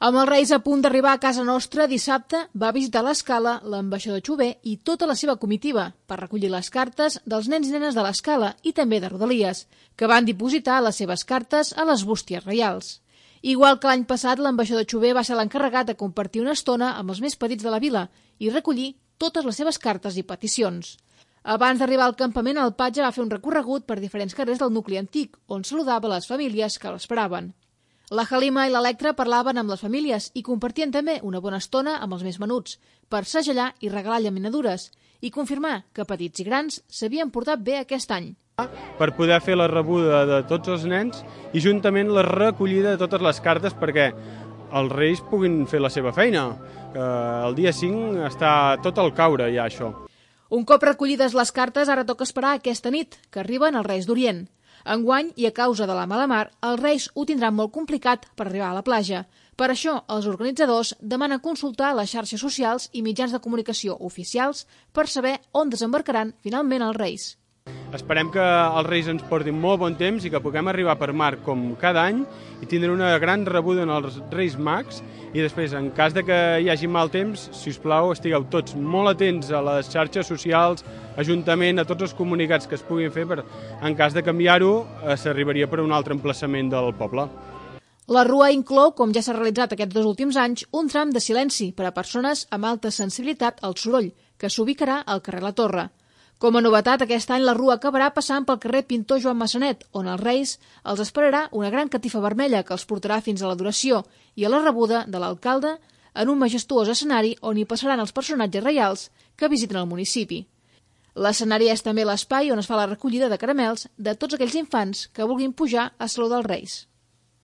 Amb els Reis a punt d'arribar a casa nostra, dissabte va visitar l'Escala l'ambaixador Chové i tota la seva comitiva per recollir les cartes dels nens i nenes de l'Escala i també de Rodalies, que van dipositar les seves cartes a les bústies reials. Igual que l'any passat, l'ambaixador Chové va ser l'encarregat de compartir una estona amb els més petits de la vila i recollir totes les seves cartes i peticions. Abans d'arribar al campament, el patge va fer un recorregut per diferents carrers del nucli antic, on saludava les famílies que l'esperaven. La Halima i l'Electra parlaven amb les famílies i compartien també una bona estona amb els més menuts, per segellar i regalar llaminadures i confirmar que petits i grans s'havien portat bé aquest any. Per poder fer la rebuda de tots els nens i juntament la recollida de totes les cartes perquè els Reis puguin fer la seva feina. El dia 5 està tot al caure ja això. Un cop recollides les cartes, ara toca esperar aquesta nit, que arriben els Reis d'Orient. Enguany, i a causa de la mala mar, els Reis ho tindran molt complicat per arribar a la platja. Per això, els organitzadors demanen consultar les xarxes socials i mitjans de comunicació oficials per saber on desembarcaran finalment els Reis. Esperem que els Reis ens portin molt bon temps i que puguem arribar per mar com cada any i tindre una gran rebuda en els Reis Mags i després, en cas de que hi hagi mal temps, si us plau, estigueu tots molt atents a les xarxes socials, ajuntament, a tots els comunicats que es puguin fer, per en cas de canviar-ho, s'arribaria per un altre emplaçament del poble. La rua inclou, com ja s'ha realitzat aquests 2 últims anys, un tram de silenci per a persones amb alta sensibilitat al soroll, que s'ubicarà al carrer La Torre. Com a novetat, aquest any la rua acabarà passant pel carrer Pintor Joan Massanet, on els Reis els esperarà una gran catifa vermella que els portarà fins a l'adoració i a la rebuda de l'alcalde en un majestuós escenari on hi passaran els personatges reials que visiten el municipi. L'escenari és també l'espai on es fa la recollida de caramels de tots aquells infants que vulguin pujar a saludar els Reis.